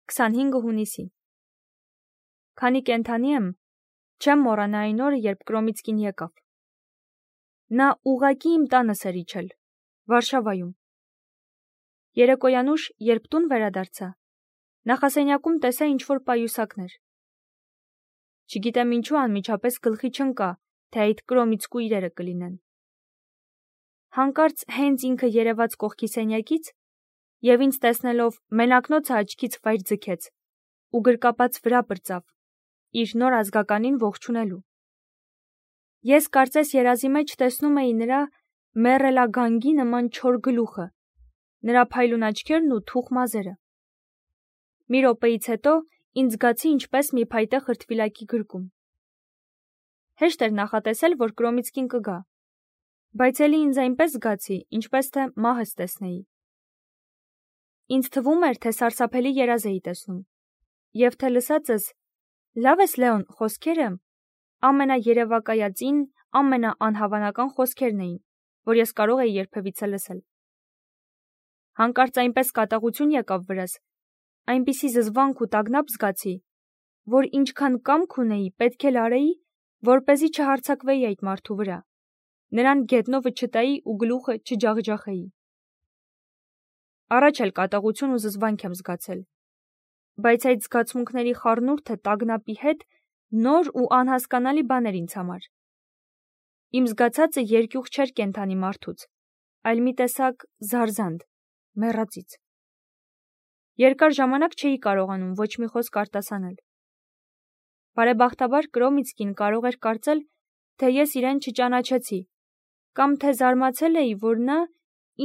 25 հունիսի։ Քանի կենդանի եմ, չեմ մոռանա այն օրը, երբ Կրոմիցկին եկավ։ Նա ուղղակի իմ տանս էր իջել, Վարշավայում։ Երեկոյան ուշ, երբ տուն վերադարձա, նախասենյակում տեսա ինչ-որ պայուսակներ։ Չգիտեմ ինչու անմիջապես գլխի չընկա, թե այդ Կրոմիցկու իրերը կլինեն։ Հանկարծ հենց ինքը երևաց կողքի սենյակից և ինձ տեսնելով մենակնոցը աչքից վայր ձգեց ու գրկապած վրա պրծավ, իր նոր ազգականին ողջունելու։ Ես կարծես երազի մեջ տեսնում էի նրա մեռելագանգի նման չոր գլուխը, նրա փայլուն աչքերն ու թուխ մազերը։ Մի րոպեից հետո ինձ զգացի ինչպես մի փայտե խրտվիլակի գրկում։ Հեշտ էր նախատեսել, որ Կրոմիցկին կգա, բայց էլի ինձ այնպես զգացի, ինչպես թե մահս տեսնեի։ Ինձ թվում էր, թե սարսափելի երազ էի տեսնում, և թե լսածս «Լավ ես, Լեոն» խոսքերը ամենաերևակայածին, ամենաանհավանական խոսքերն էին, որ ես կարող էի երբևիցե լսել։ Հանկարծ այնպես կատաղություն եկավ վրաս, այնպիսի զզվանք ու տագնապ զգացի, որ ինչքան կամք ունեի, պետք էլ արեի, որպեսզի չհարձակվեի այդ մարդու վրա, նրան գետնովը չտայի ու գլուխը չջախջախեի։ Առաջ էլ կատաղություն ու զզվանք եմ զգացել, բայց այդ զգացմունքների խառնուրդը տագնապի հետ նոր ու անհասկանալի բան էր ինձ համար։ Իմ զգացածը երկյուղ չէր կենդանի մարդուց, այլ մի տեսակ զարզանդ, մեռածից։ Երկար ժամանակ չէի կարողանում ոչ մի խոսք արտասանել։ Բարեբախտաբար Կրոմիցկին կարող էր կարծել, թե ես իրեն չճանաչեցի, կամ թե զարմացել էի, որ նա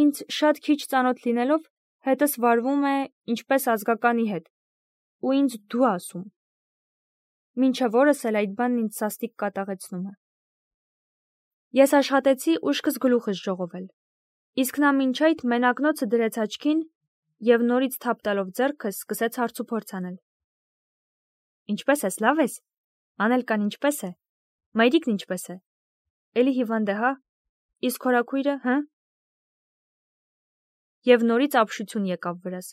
ինձ շատ քիչ ծանոթ լինելով հետս վարվում է ինչպես ազգականի հետ, ու ինձ դու ասում։ Մինչև օրս էլ այդ բանն ինձ սաստիկ կատաղեցնում է։ Ես աշխատեցի ուշքս գլուխս ժողովել, իսկ նա մինչ այդ մենակնոցը դրեց աչքին և նորից թափ տալով ձեռքս սկսեց հարցուփորձ անել։ Ինչպե՞ս ես, լավ ես։ Անելկան ինչպե՞ս է։ Մայրիկն ինչպե՞ս է։ Էլի հիվանդ է, հա։ Իսկ հորաքույրը, հը։ Եվ նորից ապշություն եկավ վրաս։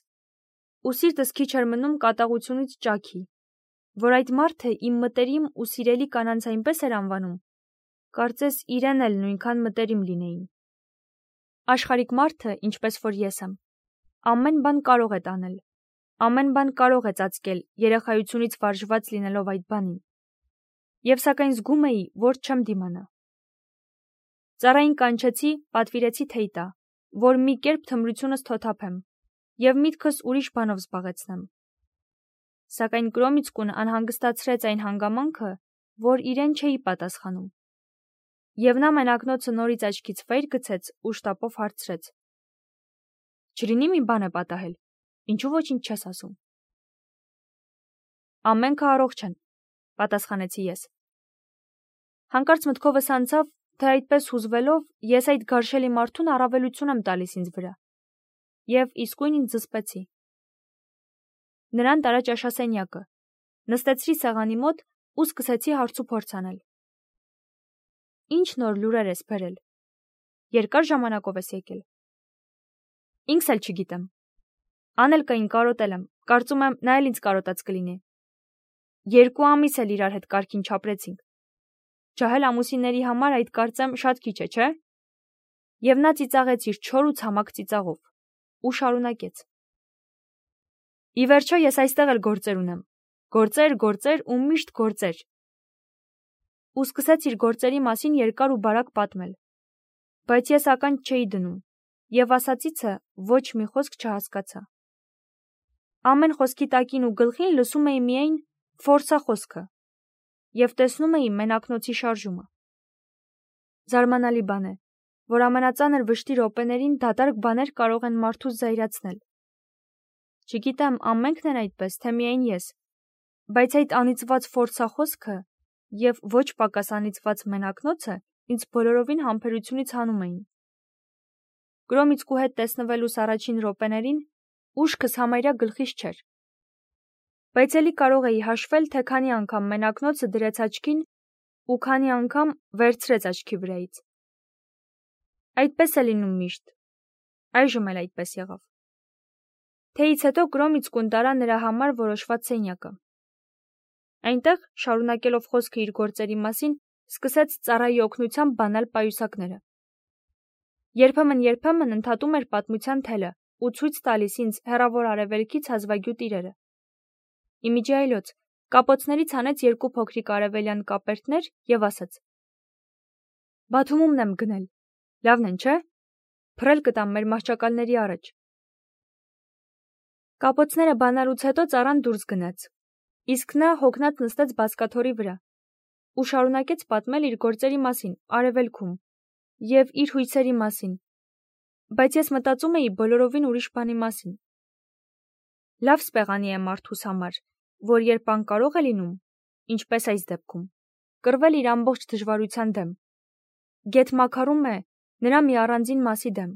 Ու սիրտս քիչ էր մնում կատաղությունից ճաքի, որ այդ մարդը իմ մտերիմ ու սիրելի կանանց այնպես էր անվանում, կարծես իրեն էլ նույնքան մտերիմ լինեին։ Աշխարհիկ մարդը, ինչպես որ ես եմ, ամեն բան կարող է տանել, ամեն բան կարող է ծածկել երեխայությունից վարժված լինելով այդ բանին։ Եվ սակայն զգում էի, որ չեմ դիմանա։ Ծառային կանչեցի, պատվիրեցի թեյ տա, որ մի կերպ թմրությունս թոթափեմ և միտքս ուրիշ բանով զբաղեցնեմ։ Սակայն Կրոմիցկուն անհանգստացրեց այն հանգամանքը, որ իրեն չէի պատասխանում։ Եվ նա մենակնոցը նորից աչքից վայր գցեց ու շտապով հարցրեց. Չլինի մի բան է պատահել, ինչու ոչինչ չես ասում։ Ամենքը առողջ են, պատասխանեցի ես։ Հանկարծ մտքովս անցավ, թե այդպես հուզվելով ես այդ գարշելի մարդուն առավելություն եմ տալիս ինձ վրա, և իսկույն ինձ զսպեցի։ Նրան տարա ճաշասենյակը, նստեցրի սեղանի մոտ ու սկսեցի հարցուփորձ անել։ Ինչ նոր լուրեր ես բերել։ Երկար ժամանակով ես եկել։ Ինքս էլ չգիտեմ։ Անելկային կարոտել եմ, կարծում եմ նա էլ ինձ կարոտած կլինի։ 2 ամիս էլ իրար հետ կարգին չապրեցինք։ Ջահել ամուսինների համար այդ կարծեմ շատ քիչ է, չէ։ Եվ նա ծիծաղեց իր չոր ու ցամաք ծիծաղով ու շարունակեց. Ի վերջո ես այստեղ էլ գործեր ունեմ, գործեր ու միշտ գործեր։ Ու սկսեց իր գործերի մասին երկար ու բարակ պատմել, բայց ես ականջ չէի դնում և ասածիցը ոչ մի խոսք չհասկացա։ Ամեն խոսքի տակին ու գլխին լսում էի միայն «ֆորսա» խոսքը և տեսնում էի մենակնոցի շարժումը։ Զարմանալի բան է, որ ամենածանր վշտի րոպեներին դատարկ բաներ կարող են մարդուս զայրացնել։ Չգիտեմ ամենքն են այդպես, թե միայն ես, բայց այդ անիծված «ֆորսա» խոսքը և ոչ պակաս անիծված մենակնոցը ինձ բոլորովին համբերությունից հանում էին։ Կրոմիցկու հետ տեսնվելուս առաջին րոպեներին ուշքս համարյա գլխիս չէր։ Բայց էլի կարող էի հաշվել, թե քանի անգամ մենակնոցը դրեց աչքին ու քանի անգամ վերցրեց աչքի վրայից։ Այդպես է լինում միշտ, այժմ էլ այդպես եղավ։ Թեից հետո Կրոմիցկուն տարա նրա համար որոշված սենյակը։ Այնտեղ, շարունակելով խոսքը իր գործերի մասին, սկսեց ծառայի օգնությամբ բանալ պայուսակները։ Երբեմն ընդհատում էր պատմության թելը ու ցույց տալիս ինձ հեռավոր արևելքից հազվագյուտ իրերը։ Իմիջի այլոց կապոցներից հանեց 2 փոքրիկ արևելյան կապերտներ եւ ասաց. «Բաթումումն եմ գնել, լավն են, չէ՞, փռել կտամ մեր մահճակալների առաջ»։ Կապոցները բանալուց հետո ծառան դուրս գնաց, իսկ նա հոգնած նստեց բազկաթոռի վրա ու շարունակեց պատմել իր գործերի մասին արևելքում եւ իր հույսերի մասին, բայց ես մտածում էի բոլորովին ուրիշ բանի մասին։ Լավ սպեղանի է մարդուս համար, որ երբ անկարող է լինում, ինչպես այս դեպքում, կռվել իր ամբողջ դժվարության դեմ, գեթ մաքարում է նրա մի առանձին մասի դեմ։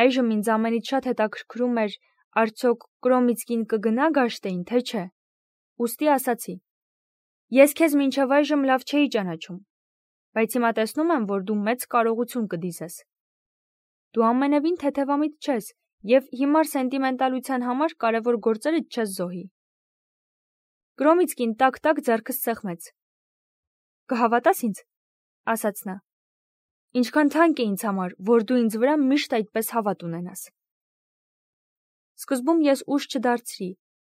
Այժմ ինձ ամենից շատ հետաքրքրում էր, արդյոք Կրոմիցկին կգնա Գաշտեին, թե չէ։ Ուստի ասացի. ես քեզ մինչև այժմ լավ չէի ճանաչում, բայց հիմա տեսնում եմ, որ դու մեծ կարողություն կդիզես։ Դու ամենևին թեթևամիտ չես եւ հիմար սենտիմենտալության համար կարևոր գործերդ չես զոհի։ Կրոմիցկին տակ-տակ ձեռքս սեղմեց։ Կհավատաս ինձ, ասաց նա։ Ինչքան թանկ է ինձ համար, որ դու ինձ վրա միշտ այդպես հավատ ունենաս։ Սկզբում ես ուշ չդարձրի,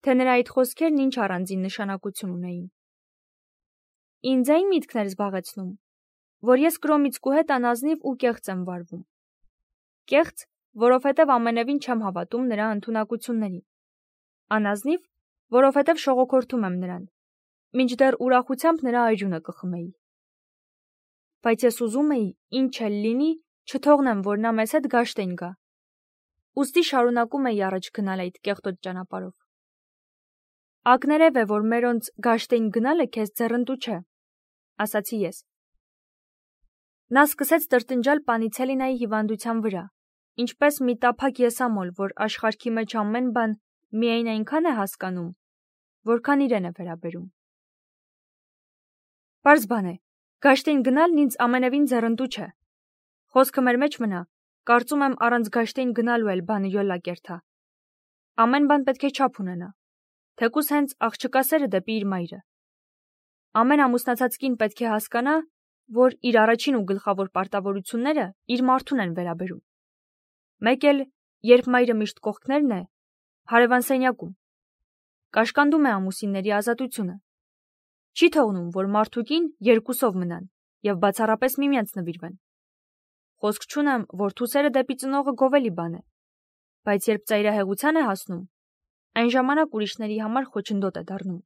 թե նրա այդ խոսքերն ինչ առանձին նշանակություն ունեին։ Ինձ այն միտքն էր զբաղեցնում, որ ես Կրոմիցկու հետ անազնիվ ու կեղծ եմ վարվում։ Կեղծ, որովհետև ամենևին չեմ հավատում նրա ընդունակություններին։ Անազնիվ, որովհետև շողոքորթում եմ նրան, մինչդեռ ուրախությամբ նրա այրունը կխմեի։ Բայց ես ուզում էի, ինչ էլ լինի, չթողնեմ, որ նա մեզ հետ Գաշտեն գա։ Ուստի շարունակում էի առաջ գնալ այդ կեղտոտ ճանապարհով։ Ակներև է, որ մերոնց Գաշտեն գնալը քեզ ձեռնտու չէ, ասացի ես։ Նա սկսեց տրտնջալ Պանիցելինայի հիվանդության վրա, ինչպես մի տափակ եսամոլ, որ աշխարհքի մեջ ամեն բան միայն այնքան է հասկանում, որքան իրեն է վերաբերում։ Պարզ բան է, Գաշտեն գնալն ինձ ամենևին ձեռնտու չէ։ Խոսքը մեր մեջ մնա, կարծում եմ առանց Գաշտեն գնալու էլ բանը յոլա կերթա։ Ամեն բան պետք է չափ ունենա, թեկուզ հենց աղջկա սերը դեպի իր մայրը։ Ամեն ամուսնացած կին պետք է հասկանա, որ իր առաջին ու գլխավոր պարտավորությունները իր մարդուն են վերաբերում։ Մեկ էլ, երբ մայրը միշտ կողքներն է, հարևան սենյակում, կաշկանդում է ամուսինների ազատությունը։ Չի թողնում, որ մարդուկին երկուսով մնան եւ բացառապես միմյանց նվիրվեն։ Խոսք չունեմ, որ թուսերը դեպի ծնողը գովելի բան է, բայց երբ ծայրահեղության է հասնում, այն ժամանակ ուրիշների համար խոչընդոտ է դառնում։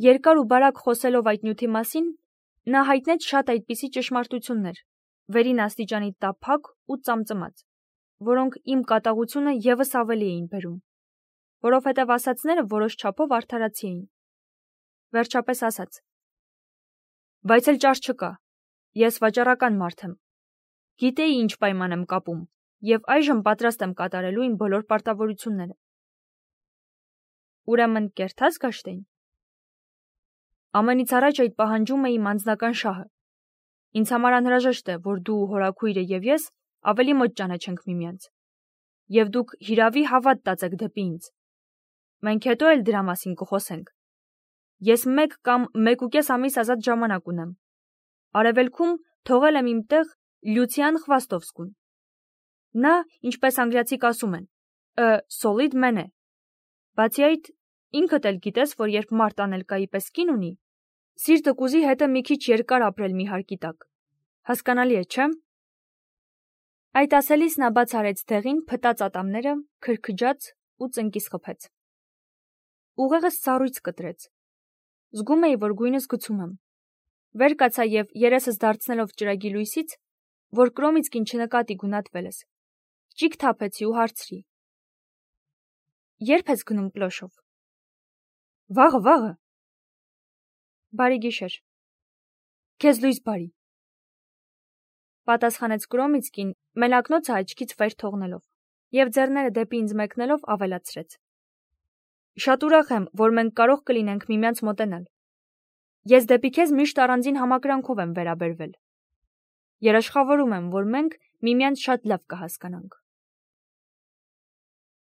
Երկար ու բարակ խոսելով այդ նյութի մասին, նա հայտնեց շատ այդպիսի ճշմարտություններ, վերին աստիճանի տափակ ու ծամծմած, որոնք իմ կատաղությունը եւս ավելի էին բերում, որովհետև ասածները որոշ չափով արդարացի էին։ Վերջապես ասաց. բայց էլ ճար չկա, ես վաճառական մարդ եմ, գիտեի ինչ պայման եմ կապում եւ այժմ պատրաստ եմ կատարելու իմ բոլոր պարտավորությունները։ Ուրեմն կերթա՞ս Գաշտեն։ Ամենից առաջ այդ պահանջում է իմ անձնական շահը։ Ինձ համար անհրաժեշտ է, որ դու, հորաքույրը եւ ես ավելի մոտ ճանաչենք միմյանց, եւ դուք հիրավի հավատ տածեք դեպի ինձ։ Մենք հետո էլ դրա մասին կխոսենք։ Ես 1 կամ 1.5 ամիս ազատ ժամանակ ունեմ։ Արևելքում թողել եմ իմ տեղ Լյուցիան Խվաստովսկուն։ Նա, ինչպես անգլիացիք ասում են, solid man է։ Բացի այդ, ինքդ էլ գիտես, որ երբ մարդ անելկայի պես կին ունի, սիրտը կուզի հետը մի քիչ երկար ապրել մի հարկի տակ։ Հասկանալի է, չէ՞։ Այդ ասելիս նա բաց արեց դեղին փտած ատամները, քրքջաց ու ծնկիս խփեց։ Ուղեղս սառույց կտրեց։ Զգում էի, որ գույնս գցում եմ։ Վեր կացա եւ երեսս դարձնելով ճրագի լույսից, որ Կրոմիցկին չնկատի գունատվել ես, ճիգ թափեցի ու հարցրի. Երբ ես գնում Պլոշով։ Վաղը։ Բարի գիշեր։ Քեզ լույս բարի։ Պատասխանեց Կրոմիցկին, մելակնոցը աչքից վեր թողնելով, եւ ձեռները դեպի ինձ մեկնելով ավելացրեց. Շատ ուրախ եմ, որ մենք կարող կլինենք միմյանց մոտենալ։ Ես դեպի քեզ միշտ առանձին համակրանքով եմ վերաբերվել։ Երաշխավորում եմ, որ մենք միմյանց շատ լավ կհասկանանք։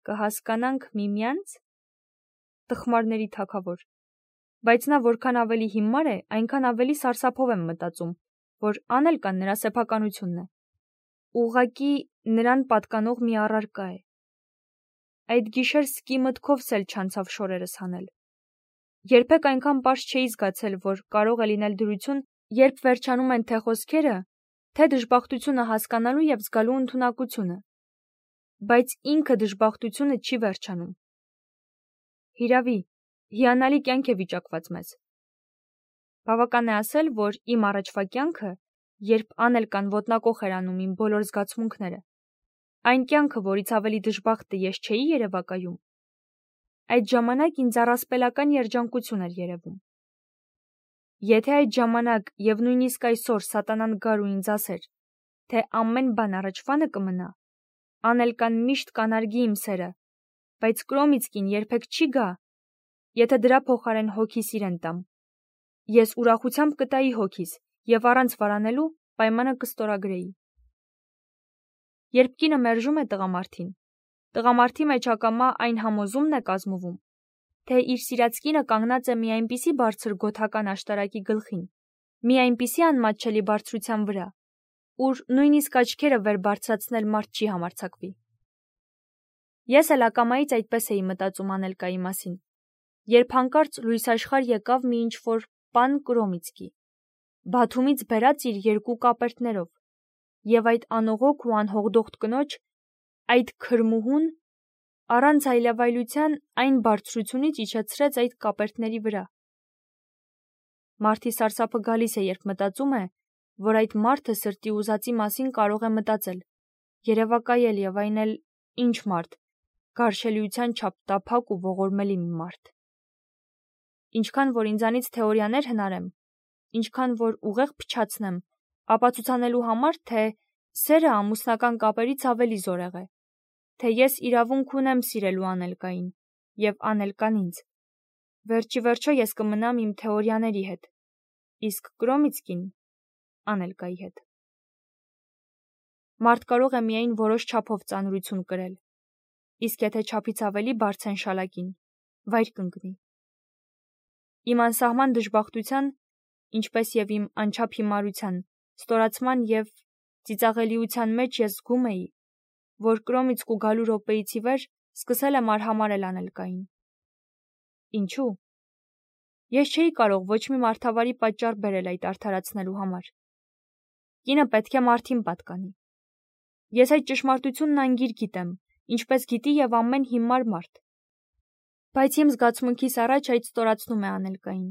կհասկանանք միմյանց, տխմարների թագավոր, բայց նա որքան ավելի հիմար է, այնքան ավելի սարսափով եմ մտածում, որ Անելկան նրա սեփականությունն է, ուղղակի նրան պատկանող մի առարկա է։ Այդ գիշեր սկի մտքովս էլ չանցավ շորերս հանել։ Երբեք այնքան պարզ չէի զգացել, որ կարող է լինել դրություն, երբ վերջանում են թե խոսքերը, թե դժբախտությունը հասկանալու և զգալու ընդունակությունը, բայց ինքը դժբախտությունը չի վերջանում։ Հիրավի, հիանալի կյանք է վիճակված մեզ։ Բավական է ասել, որ իմ առաջվա կյանքը, երբ Անելկան ոտնակոխ էր անում իմ բոլոր զգացմունքները, այն կյանքը, որից ավելի դժբախտը ես չէի երևակայում, այդ ժամանակ ինձ առասպելական երջանկություն էր երևում։ Եթե այդ ժամանակ և նույնիսկ այսօր սատանան գար ու ինձ ասեր, թե ամեն բան առաջվանը կմնա, Անելկան միշտ կանարգի իմ սերը, բայց Կրոմիցկին երբեք չի գա, եթե դրա փոխարեն հոգիս իրեն տամ, ես ուրախությամբ կտայի հոգիս և առանց վարանելու պայմանը կստորագրեի։ Երբ կինը մերժում է տղամարդին, տղամարդի մեջ ակամա այն համոզումն է կազմվում, թե իր սիրած կինը կանգնած է մի այնպիսի բարձր գոթական աշտարակի գլխին, մի այնպիսի անմատչելի բարձրության վրա, ուր նույնիսկ աչքերը վեր բարձրացնել մարդ չի համարձակվի։ Ես էլ ակամայից այդպես էի մտածում Անելկայի մասին, երբ հանկարծ լույս աշխարհ եկավ մի ինչ-որ պան Կրոմիցկի, Բաթումից բերած իր երկու կապերտներով, և այդ անողոք ու անհողդոխտ կնոջ, այդ քրմուհուն, առանց այլավայլության այն բարձրությունից իջեցրեց այդ կապերտների վրա։ Մարդի սարսափը գալիս է, երբ մտածում է, որ այդ մարդը սրտի ուզածի մասին կարող է մտածել, երևակայել և այն էլ ինչ մարդ, գարշելիության չափ տափակ ու ողորմելի մի մարդ։ Ինչքան որ ինձանից թեորիաներ հնարեմ, ինչքան որ ուղեղ փչացնեմ, ապացուցանելու համար, թե սերը ամուսնական կապերից ավելի զորեղ է, թե ես իրավունք ունեմ սիրելու Անելկային և Անելկան ինձ, վերջիվերջո ես կմնամ իմ թեորիաների հետ, իսկ Կրոմիցկին Անելկայի հետ։ Մարդ կարող է միայն որոշ չափով ծանրություն կրել, իսկ եթե չափից ավելի բարձեն շալակին, վայր կընկնի։ Իմ անսահման դժբախտության, ինչպես և իմ անչափ հիմարության, ստորացման և ծիծաղելիության մեջ ես զգում էի, որ Կրոմիցկու գալու րոպեից ի վեր սկսել եմ արհամարհել Անելկային։ Ինչու՞։ Ես չէի կարող ոչ մի մարդավարի պատճառ բերել այդ արդարացնելու համար։ Կինը պետք է մարդին պատկանի։ Ես այդ ճշմարտությունն անգիր գիտեմ, ինչպես գիտի և ամեն հիմար մարդ։ Բայց իմ զգացմունքիս առաջ այդ ստորացնում է Անելկային։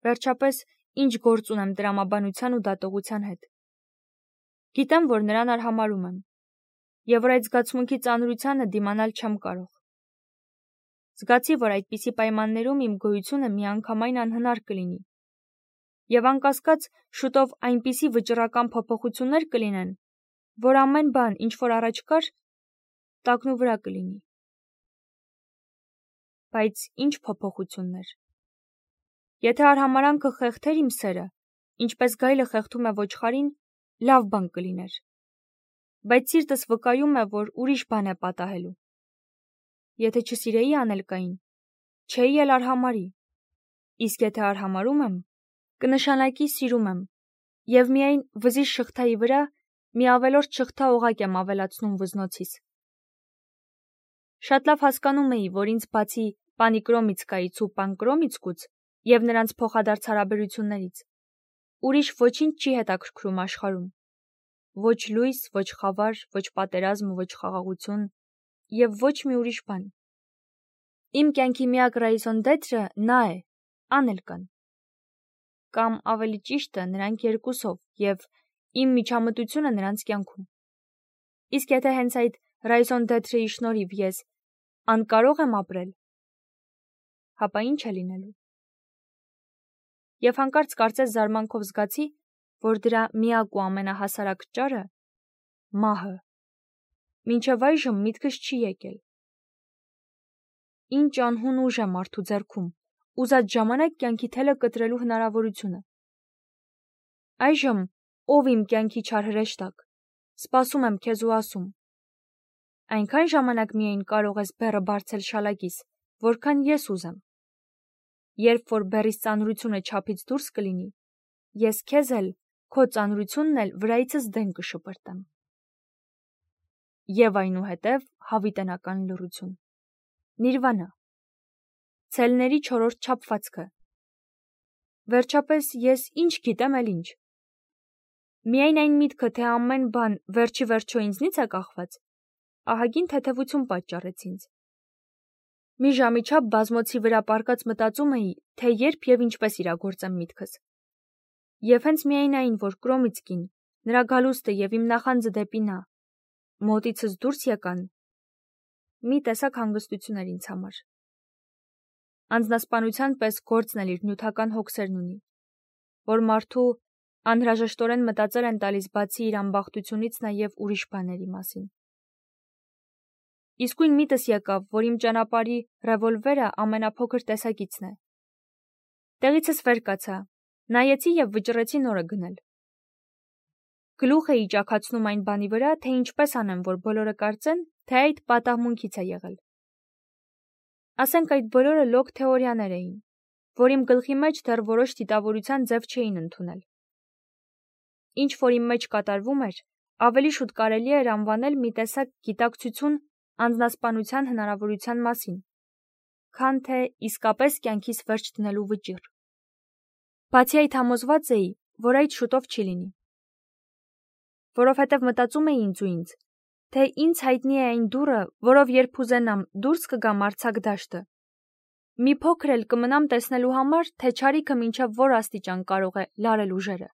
Վերջապես, ինչ գործ ունեմ տրամաբանության ու դատողության հետ։ Գիտեմ, որ նրան արհամարհում եմ, և որ այդ զգացմունքի ծանրությանը դիմանալ չեմ կարող։ Զգացի, որ այդպիսի պայմաններում իմ գոյությունը միանգամայն անհնար կլինի, և անկասկած շուտով այնպիսի վճռական փոփոխություններ կլինեն, որ ամեն բան, ինչ որ առաջ կար, տակնուվրա կլինի։ Բայց ինչ փոփոխություններ։ Եթե արհամարհանքը խեղդեր իմ սերը, ինչպես գայլը խեղդում է ոչխարին, լավ բան կլիներ։ Բայց սիրտս վկայում է, որ ուրիշ բան է պատահելու։ Եթե չսիրեի Անելկային, չէի էլ արհամարհի, իսկ եթե արհամարհում եմ, կնշանակի սիրում եմ, և միայն վզի շղթայի վրա մի ավելորդ շղթա օղակ եմ ավելացնում վզնոցիս։ Շատ լավ հասկանում էի, որ ինձ բացի պանի Կրոմիցկայից ու պան Կրոմիցկուց և նրանց փոխադարձ հարաբերություններից, ուրիշ ոչինչ չի հետաքրքրում աշխարհում։ Ոչ լույս, ոչ խավար, ոչ պատերազմ, ոչ խաղաղություն և ոչ մի ուրիշ բան։ Իմ կյանքի միակ ռեյզոն դետրը նա է, Անելկան։ Կամ ավելի ճիշտը, նրանք երկուսով և իմ միջամտությունը նրանց կյանքում։ Իսկ եթե հենց այդ ռեյզոն դետրի շնորհիվ ես անկարող եմ ապրել, հապա ինչ է լինելու։ Եվ հանկարծ կարծես զարմանքով զգացի, որ դրա միակ ու ամենահասարակ ճարը մահը մինչև այժմ միտքս չի եկել։ Ինչ անհուն ուժ է մարդու ձեռքում, ուզած ժամանակ կյանքի թելը կտրելու հնարավորությունը։ Այժմ, ով իմ կյանքի չար հրեշտակ, սպասում եմ քեզ ու ասում. Այնքան ժամանակ միայն կարող ես բեռը բարձել շալակիս, որքան ես ուզեմ։ Երբ որ բեռիս ծանրությունը չափից դուրս կլինի, ես քեզ էլ, քո ծանրությունն էլ վրայիցս դեն կշպրտեմ։ Եվ այնուհետև հավիտենական լռություն։ Նիրվանա։ Ցելների 4-րդ չափվածքը։ Վերջապես ես ինչ գիտեմ էլ ինչ։ Միայն այն միտքը, թե ամեն բան վերջի վերջո ինձնից է կախված, ահագին թեթևություն պատճառեց ինձ։ Մի ժամի չափ բազմոցի վրա պառկած մտածում էի, թե երբ եւ ինչպես իրագործեմ միտքս։ Եվ հենց միայն այն, որ Կրոմիցկին, նրա գալուստը եւ իմ նախանձը դեպի նա մոտիցս դուրս եկան, մի տեսակ հանգստություն էր ինձ համար։ Անձնասպանության պես գործն էլ իր նյութական հոգսերն ունի, որ մարդու անհրաժեշտորեն մտածել են տալիս բացի իր անբախտությունից նաև ուրիշ բաների մասին։ Իսկույն միտս եկավ, որ իմ ճանապարհի ռևոլվերը ամենափոքր տեսակիցն է։ Տեղիցս վեր կացա, նայեցի եւ վճռեցի նորը գնել։ Գլուխ էի ճաքացնում այն բանի վրա, թե ինչպես անեմ, որ բոլորը կարծեն, թե այդ պատահմունքից է եղել։ Ասենք այդ բոլորը լոկ թեորիաներ էին, որ իմ գլխի մեջ դեռ որոշ դիտավորության ձև չէին ընդունել։ Ինչ որ իմ մեջ կատարվում էր, ավելի շուտ կարելի էր անվանել մի տեսակ գիտակցություն անձնասպանության հնարավորության մասին, քան թե իսկապես կյանքիս վերջ դնելու վճիռ։ Բացի այդ համոզված էի, որ այդ շուտով չի լինի։ Որովհետև մտածում էի ինձ, թե ինձ հայտնի է այն դուռը, որով երբ ուզենամ դուրս կգամ արձակ դաշտը։ Մի փոքր էլ կմնամ տեսնելու համար, թե չարիքը մինչև որ աստիճան կարող է լարել ուժերը։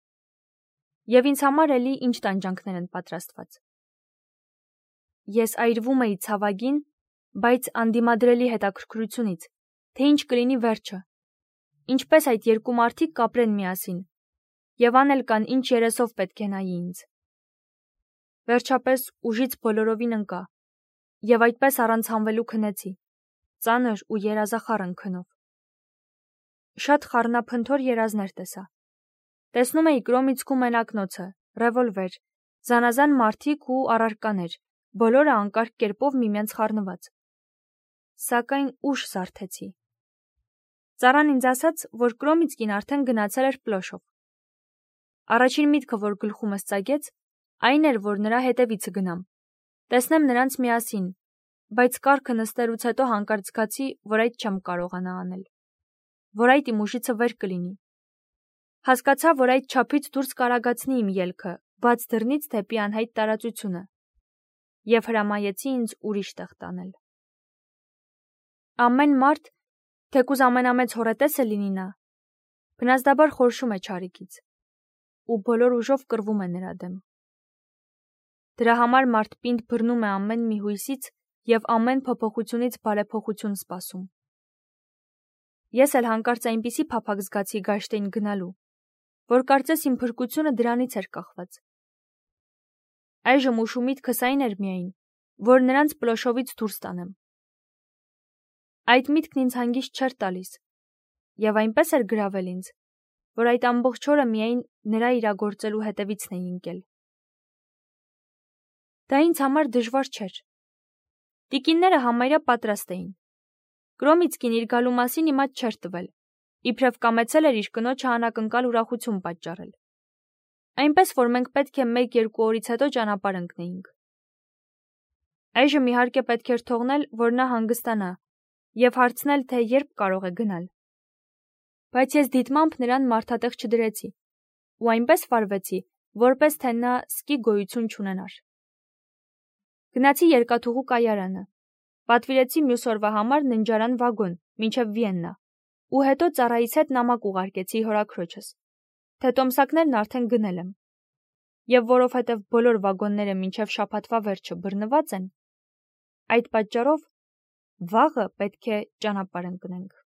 Եվ ինձ համար էլի ինչ տանջանքներ են պատրաստված։ Ես այրվում էի ցավագին, բայց անդիմադրելի հետաքրքրությունից, թե ինչ կլինի վերջը, ինչպես այդ երկու մարդիկ կապրեն միասին, եւ անել կան ինչ երեսով պետք է նայի ինձ։ Վերջապես ուժից բոլորովին ընկա, եւ այդպես առանց հանվելու քնեցի, ծանր ու երազախառն քնով։ Շատ խառնափնթոր երազներ տեսա։ Տեսնում էի Կրոմիցկու մենակնոցը, ռևոլվեր, զանազան մարդիկ ու առարկաներ, բոլորը անկարգ կերպով միմյանց խառնված։ Սակայն ուշ զարթեցի։ Ծառան ինձ ասաց, որ Կրոմիցկին արդեն գնացել էր Պլոշով։ Առաջին միտքը, որ գլխումս ծագեց, այն էր, որ նրա հետևիցը գնամ, տեսնեմ նրանց միասին, բայց կառքը նստելուց հետո հանկարծ զգացի, որ այդ չեմ կարողանա անել, որ այդ իմ ուժիցը վեր կլինի։ Հասկացա, որ այդ չափից դուրս կարագացնի իմ ելքը, բաց դռնից դեպի անհայտ տարածությունը, եւ հրամայեցի ինձ ուրիշ տեղ տանել։ Ամեն մարդ, թեկուզ ամենամեծ հոռետեսը լինի նա, բնազդաբար խորշում է չարիքից, ու բոլոր ուժով կռվում է նրա դեմ։ Դրա համար մարդ պինդ բռնում է ամեն մի հույսից եւ ամեն փոփոխությունից բարեփոխություն սպասում։ Ես էլ հանկարծ այնպիսի փափակ զգացի Գաշտեին գնալու, որ կարծես իմ փրկությունը դրանից էր կախված։ Այժմ ուշու միտքս այն էր միայն, որ նրանց Պլոշովից դուրս տանեմ։ Այդ միտքն ինձ հանգիստ չէր տալիս, եւ այնպես էր գրավել ինձ, որ այդ ամբողջ օրը միայն նրա իրագործելու հետևիցն էի ընկել։ Դա ինձ համար դժվար չէր։ Տիկինները համարյա պատրաստ էին։ Կրոմիցկին իր գալու մասին իմաց չէր տվել, իբրև կամեցել էր իր կնոջը անակնկալ ուրախություն պատճառել։ Այնպես որ մենք պետք է 1-2 օրից հետո ճանապարհ ընկնեինք։ Այժմ իհարկե պետք էր թողնել, որ նա հանգստանա եւ հարցնել, թե երբ կարող է գնալ։ Բայց ես դիտմամբ նրան մարդատեղ չդրեցի ու այնպես վարվեցի, որպես թե նա սկի գոյություն չունենար։ Գնացի երկաթուղու կայարանը, պատվիրեցի մյուս օրվա համար ննջարան վագոն մինչև Վիեննա ու հետո ծառայից հետ նամակ ուղարկեցի հորաքրոջս, թե տոմսակներն արդեն գնել եմ, եւ որովհետեւ բոլոր վագոնները մինչև շաբաթվա վերջը բռնված են, այդ պատճառով վաղը պետք է ճանապարհ ընկնենք։